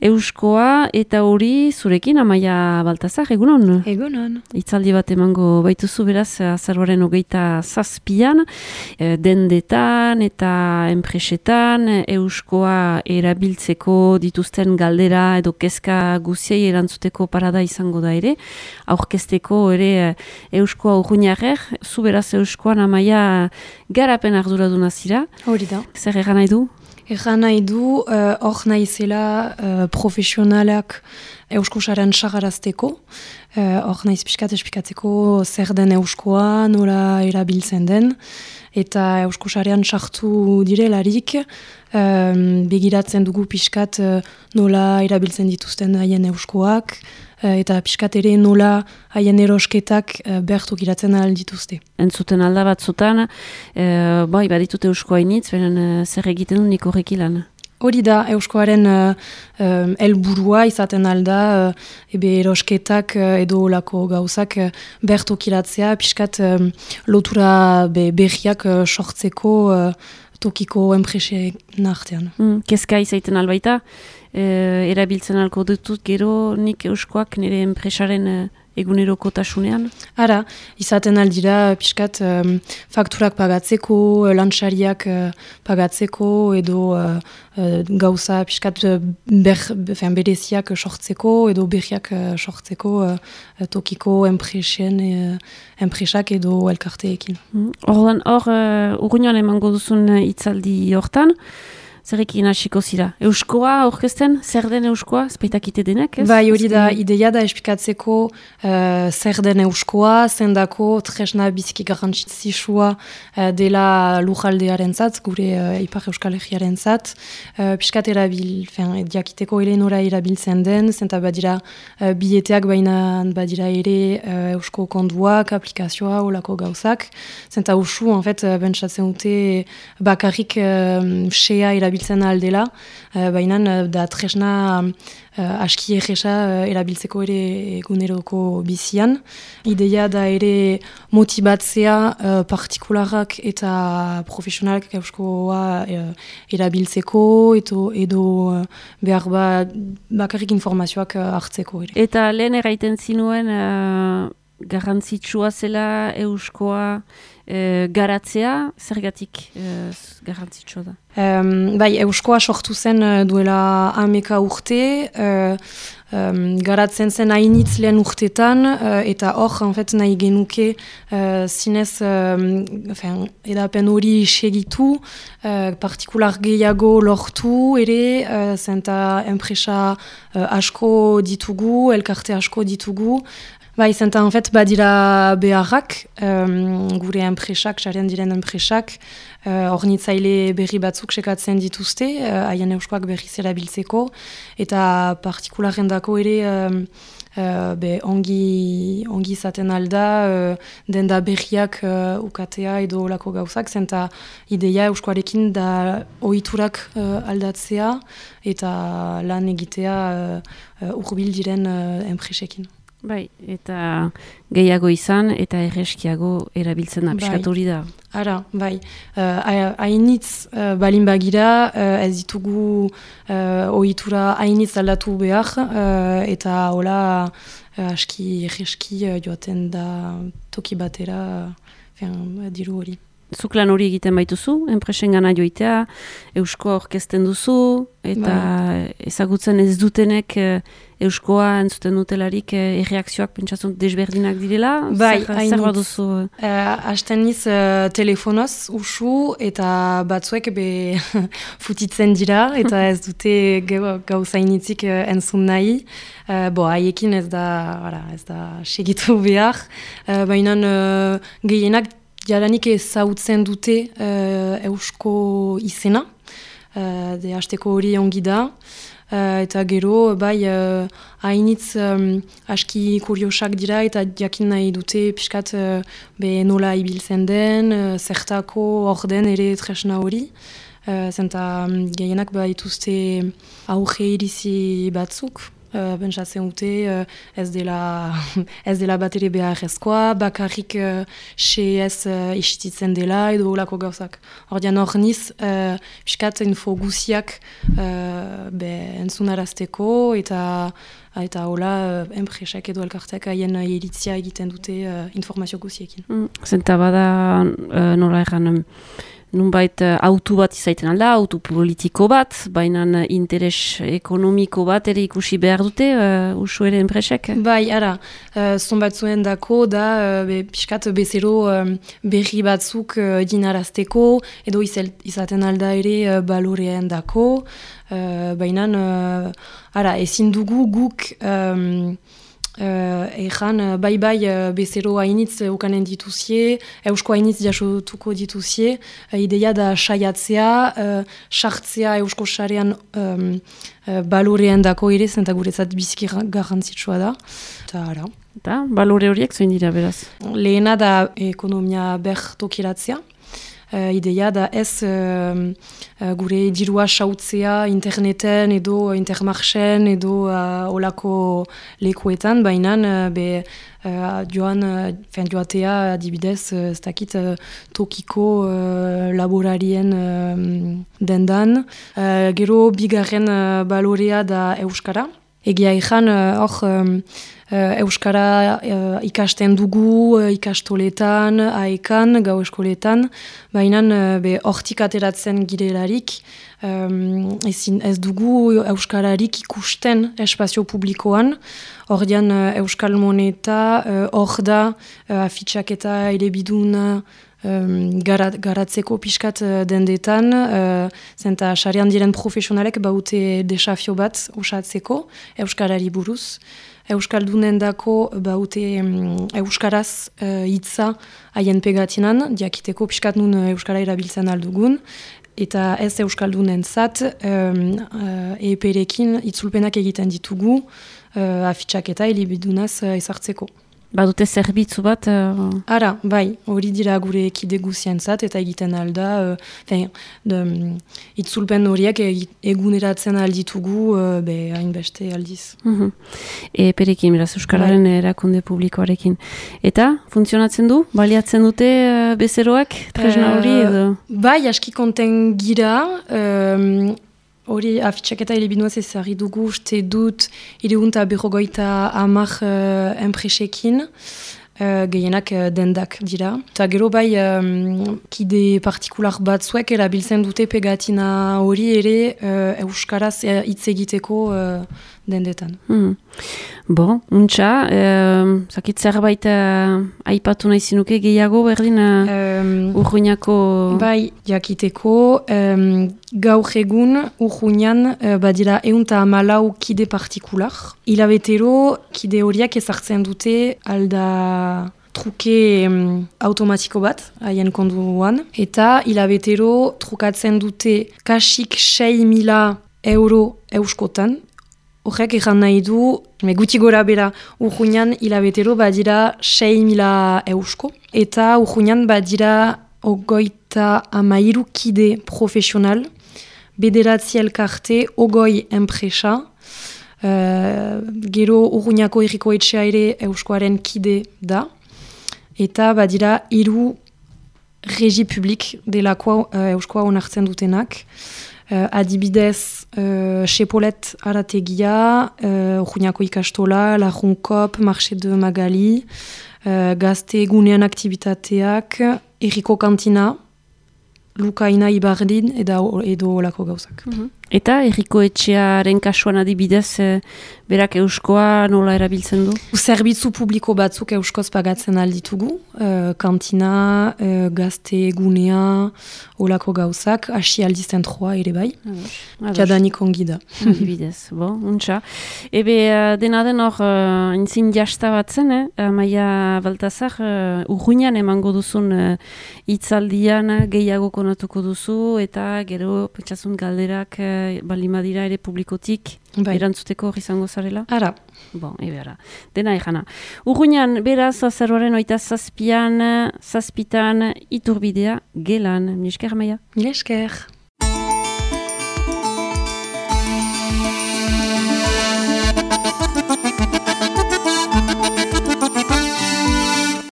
Euskoa eta hori zurekin Amaia Baltazar, egunon? Egunon. Itzaldi bat emango baituzu beraz azaroaren 27an, dendetan eta enpresetan euskoa erabiltzeko dituzten galdera edo kezka guziei erantzuteko parada izango da ere, aurkezteko ere euskoa urruñarrer, zu beraz euskoan Amaia garapen arduraduna zira. Hori da. Zer egan nahi du? Egan nahi du, hor naizela profesionalak euskosaren sagarazteko, hor naiz pixkat espikatzeko zer den euskoa, nola erabiltzen den, eta euskosarean sartu direlarik, begiratzen dugu pixkat nola erabiltzen dituzten haien euskoak, eta pixkat ere nola haien erosketak behartuk iratzen ahal dituzte. Entzuten alda batzutan, baditute euskoa initz, beren zer egiten du nik horrek ilan? Hori da, euskoaren helburua izaten alda, erosketak edo olako gauzak behartuk iratzea, pixkat lotura berriak sortzeko tokiko enpresen artean. Kezka izaiten albaita, erabiltzen alko dutut gero nik euskoak nire enpresaren egunerokotasunean? Ara, izaten aldira pixkat fakturak pagatzeko, lantxariak pagatzeko edo gauza pixkat bereziak sortzeko edo berriak sortzeko tokiko enpresak edo elkarteekin. Hor, urruñoan emango duzun hitzaldi hortan, zerrekin hasiko zira? Euskoa aurkezten? Zer den euskoa? Zpeitakite denak, ez? Bai, hori da, ideia da espikatzeko zer den euskoa, zendako tresna biziki garrantzitsua dela lujaldearen zat, gure Ipar Euskal Herriaren zat. Piskat diakiteko ere nora erabiltzen den, zenta badira bileteak baina badira ere eusko konduak, aplikazioa, olako gauzak. Zenta usu, bentsatzen dute bakarrik sea erabiltzen aldela, baina da tresna aski egesa erabiltzeko ere eguneroko bizian. Ideia da ere motibatzea partikularak eta profesionalak euskoa erabiltzeko edo behar bakarrik informazioak hartzeko ere. Eta lehen erraiten zinuen garrantzitsua zela euskoa garatzea, zergatik garrantzitsua da? Bai, euskoa sortu zen duela 10 urte, garatzen zen hainitz lehen urtetan, eta hor, nahi genuke zinez edapen hori segitu, partikular gehiago lortu ere, zenta enpresa asko ditugu, elkarte asko ditugu. Bai, zenta badira beharrak, gure enpresak, xaren diren enpresak, hornitzaile berri batzuk sekatzen dituzte, haien euskoak berriz erabiltzeko, eta partikularen dako ere ongi izaten alda, denda berriak ukatea edo olako gauzak, zenta ideia euskoarekin da ohiturak aldatzea eta lan egitea hurbil diren enpresekin. Bai, eta gehiago izan eta erreskiago erabiltzen da, piskat hori da. Ara, bai. Hainitz balin bagira, ez ditugu ohitura hainitz aldatu behar, eta hola aski erreski joaten da toki batera diru hori. Zuk lan hori egiten baituzu, enpresen gana joitea, euskoa orkesten duzu, eta ezagutzen ez dutenek euskoa entzuten dutelarik erreakzioak pentsatzen desberdinak direla? Bai, zer baduzu? Hasten niz telefonoz usu eta batzuek futitzen dira eta ez dute gauza initzik entzun nahi. Haiekin ez da segitu behar, baina gehienak jadanik ezautzen dute eusko izena, hasteko hori ongi da, eta gero, hainitz aski kuriosak dira eta jakin nahi dute pixkat nola ibiltzen den, zertako orden ere tresna hori, zenta gehienak dituzte auge irizi batzuk, Pentsatzen dute ez dela bat ere beharrezkoa, bakarrik ez istitzen dela edo olako gauzak. Ordean hor niz, piskat info guziak entzunarazteko eta hola enpresak edo elkartek haien iritzia egiten dute informazio guziekin. Zenta bada nola erran nunbait autu bat izaiten alda, autu politiko bat, baina interes ekonomiko bat ere ikusi behar dute usu ere enpresek? Bai, ara, zonbait zuen dako da piskat bezero berri batzuk dinarazteko, edo izaten alda ere balorean dako, baina ezin dugu guk bai bezero hainitz ukanen dituzie, eusko hainitz jasotuko dituzie, ideia da saiatzea, sartzea eusko sarean balorean dako ere, zenta guretzat biziki garrantzitsua da. Eta balore horiek zoin dira beraz? Lehena da ekonomia bertokiratzea. Ideia da ez gure dirua sautzea interneten edo intermarchen edo olako lekuetan, baina joatea adibidez ez dakit tokiko laborarien dendan. Gero bigarren balorea da euskara. Egia ezan hor euskara ikasten dugu, ikastoletan, aekan, gau eskoletan, baina hortik ateratzen girelarik, ez dugu euskararik ikusten espazio publikoan, ordean euskal moneta, hor da afitxak eta elebiduna, garatzeko pixkat dendetan, zenta sarean diren profesionalek baute desafio bat osatzeko euskarari buruz. Euskaldunen dako baute euskaraz hitza haien pegatinan, diakiteko pixkat nun euskara erabiltzen aldugun, eta ez euskaldunen zat eperekin itzulpenak egiten ditugu afitxak eta elebidunaz ezartzeko. Badute zerbitzu bat? Ara, bai, hori dira gure ekide guzientzat eta egiten alda, itzulpen horiek eguneratzen alditugu hainbeste aldiz. Perekin, beraz, Euskararen erakunde publikoarekin. Eta, funtzionatzen du? Baliatzen dute bezeroak, tresna hori edo? Bai, aski konten gira, hori afitxak eta elebinuaz ezarri dugu, uste dut, 350 enpresekin, gehienak dendak dira. Eta gero bai, kide partikular batzuek erabiltzen dute pegatina hori ere euskaraz hitz egiteko dendetan. Bon, untxa, zakit zerbait aipatu nahi zinuke gehiago berdin Urruñako... Bai, jakiteko, gaur egun Urruñan badira 114 kide partikular. Hilabetero kide horiak ezartzen dute alda truke automatiko bat, haien konduan. Eta hilabetero trukatzen dute kasik 6.000 euro euskotan. Horrek egan nahi du, guti gora bera, Urruñan hilabetero badira 6.000 eusko. Eta Urruñan badira 53 kide profesional, 9 elkarte, 20 enpresa. Gero Urruñako herriko etxea ere euskoaren kide da. Eta badira 3 regi publik delakoa euskoa onartzen dutenak. Adibidez, Sepolet Arategia, Urruñako ikastola, Lajunkop, Marché de Magali, Gazte egunean aktibitateak, Herriko kantina, Lukaina Ibardin edo olako gauzak. Eta herriko etxearen kasuan adibidez, berak euskoa nola erabiltzen du? Zerbitzu publiko batzuk euskoz pagatzen alditugu, kantina, gazte egunea, olako gauzak, hasi aldiz zentroa ere bai, jadanik ongi da. Adibidez, untxa. Ebe, dena den hor, entzin jasta batzen, Maia Baltazar, Urruñan emango duzun hitzaldian gehiago konatuko duzu, eta gero, pentsasun galderak, balimadira ere publikotik erantzuteko hori izango zarela? Ara. Ara. Dena egana. Urruñan, beraz, azaroaren 27 zazpitan Iturbidea gelan. Mil esker, Maia? Mil esker.